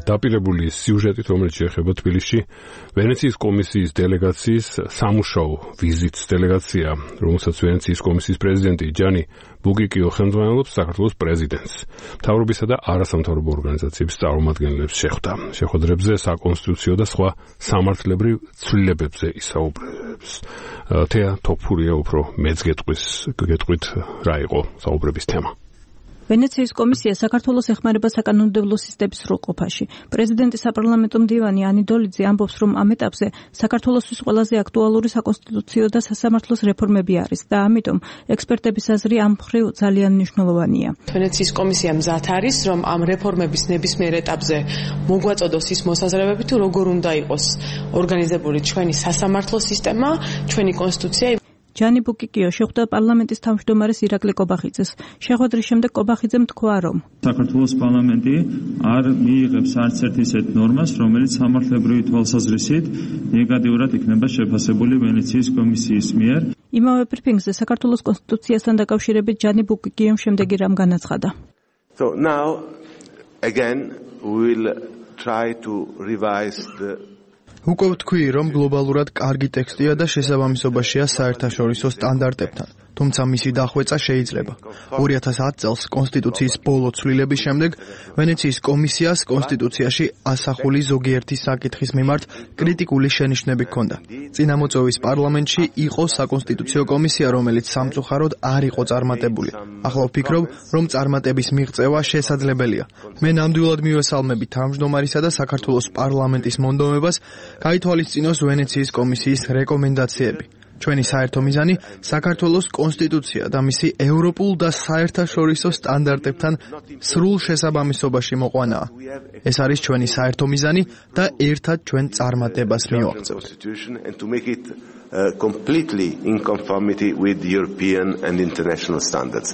დაპირებული სიუჟეტით, რომელიც შეეხება თბილისში ვენეციის კომისიის დელეგაციის სამუშაო ვიზიტს დელეგაცია, რომელსაც ვენეციის კომისიის პრეზიდენტი ჯანი ბუკიკიო ხელმძღვანელობს საქართველოს პრეზიდენტს. მთავრობისა და არასამთავრობო ორგანიზაციების წარმომადგენლებს შეხვდა. შეხვედრებზე საკონსტიტუციო და სხვა სამართლებრივ ცვლილებებზე ისაუბრებს. თეა თოფურია უფრო მეც გეტყვით რა იყო საუბრების თემა. ვენეციის კომისია საქართველოს ეხმარება საკანონმდებლო სისტემის სრულყოფაში. პრეზიდენტი საპარლამენტო მდივანი ანი დოლიძე ამბობს, რომ ამ ეტაპზე საქართველოსთვის ყველაზე აქტუალური საკონსტიტუციო და სასამართლოს რეფორმები არის და ამიტომ ექსპერტების აზრი ამ მხრივ ძალიან მნიშვნელოვანია. ვენეციის კომისია მზად არის, რომ ამ რეფორმების ნებისმიერ ეტაპზე მოგვაწოდოს ის მოსაზრებები, თუ როგორ უნდა იყოს ორგანიზებული ჩვენი სასამართლო სისტემა, ჩვენი კონსტიტუცია. ჯანი ბუკიკიო შეხვდა პარლამენტის თავმჯდომარეს ირაკლი კობახიძეს. შეხვედრის შემდეგ კობახიძემ თქვა, რომ საქართველოს პარლამენტი არ მიიღებს არც ერთ ისეთ ნორმას, რომელიც სამართლებრივი თვალსაზრისით ნეგატიურად იქნება შეფასებული ვენეციის კომისიის მიერ. იმავე ბრიფინგზე საქართველოს კონსტიტუციასთან დაკავშირებით ჯანი ბუკიკიომ შემდეგი რამ განაცხადა. So now again we will try to revise the უკვე ვთქვი, რომ გლობალურად კარგი ტექსტია და შესაბამისობაშია საერთაშორისო სტანდარტებთან, თუმცა მისი დახვეწა შეიძლება. 2010 წელს კონსტიტუციის ბოლო ცვლილების შემდეგ ვენეციის კომისიას კონსტიტუციაში ასახული ზოგიერთი საკითხის მიმართ კრიტიკული შენიშვნები ჰქონდა. წინამოწვევის პარლამენტში იყო საკონსტიტუციო კომისია, რომელიც სამწუხაროდ არ იყო წარმატებული. ახლა ვფიქრობ, რომ წარმატების მიღწევა შესაძლებელია. მე ნამდვილად მივესალმები თავმჯდომარისა და საქართველოს პარლამენტის მონდომებას გაითვალისწინოს ვენეციის კომისიის რეკომენდაციები. ჩვენი საერთო მიზანი საქართველოს კონსტიტუცია და მისი ევროპულ და საერთაშორისო სტანდარტებთან სრულ შესაბამისობაში მოყვანაა. ეს არის ჩვენი საერთო მიზანი და ერთად ჩვენ წარმატებას მივაღწევთ. completely in conformity with European and international standards.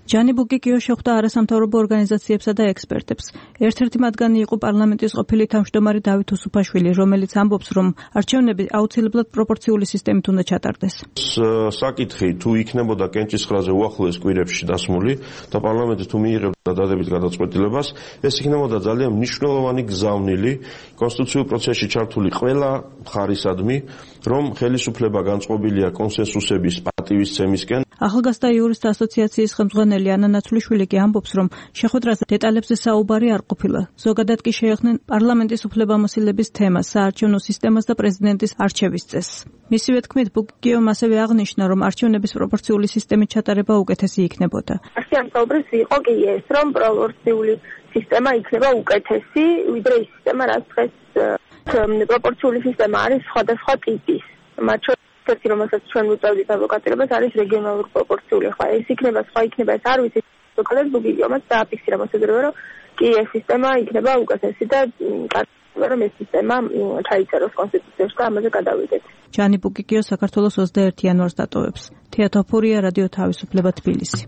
ჯანი ბუკიკიო შეხვდა არასამთავრობო ორგანიზაციებსა და ექსპერტებს. ერთ-ერთი მათგანი იყო პარლამენტის ყოფილი თავმჯდომარე დავით უსუფაშვილი, რომელიც ამბობს, რომ არჩევნები აუცილებლად პროპორციული სისტემით უნდა ჩატარდეს. საკითხი თუ იქნებოდა კენჭისყრაზე უახლოეს კვირებში დასმული და პარლამენტი თუ მიიღებდა დადებით გადაწყვეტილებას, ეს იქნებოდა ძალიან მნიშვნელოვანი გზავნილი კონსტიტუციურ პროცესში ჩართული ყველა მხარისადმი, რომ ხელისუფლება განწყობილია კონსენსუსების პატივისცემისკენ. ახალგაზრდა იურისტთა ასოციაციის ხელმძღვანელი ანა ნაცვლიშვილი კი ამბობს, რომ შეხვედრაზე დეტალებზე საუბარი არ ყოფილა. ზოგადად კი შეეხნენ პარლამენტის უფლებამოსილების თემას, საარჩევნო სისტემას და პრეზიდენტის არჩევის წესს. მისივე თქმით, ბუკიკიომ ასევე აღნიშნა, რომ არჩევნების პროპორციული სისტემით ჩატარება უკეთესი იქნებოდა. ამ საუბრის იყო კი ეს, რომ პროპორციული სისტემა იქნება უკეთესი, ვიდრე ის სისტემა, რაც დღეს პროპორციული სისტემა არის სხვადასხვა ტიპის. ერთი რომელსაც ჩვენ ვუწევდით ადვოკატირებას არის რეგიონალური პროპორციული. ხა ეს იქნება, სხვა იქნება, ეს არ ვიცი. ზოგადად ბუკიკიომაც დააფიქსირა მოსაზრება, რომ კი ეს სისტემა იქნება უკეთესი და რომ ეს სისტემა ჩაიწეროს კონსტიტუციაში და ამაზე გადავიდეთ. ჯანი ბუკიკიო საქართველოს 21 იანვარს დატოვებს. თეა თოფურია, რადიო თავისუფლება, თბილისი.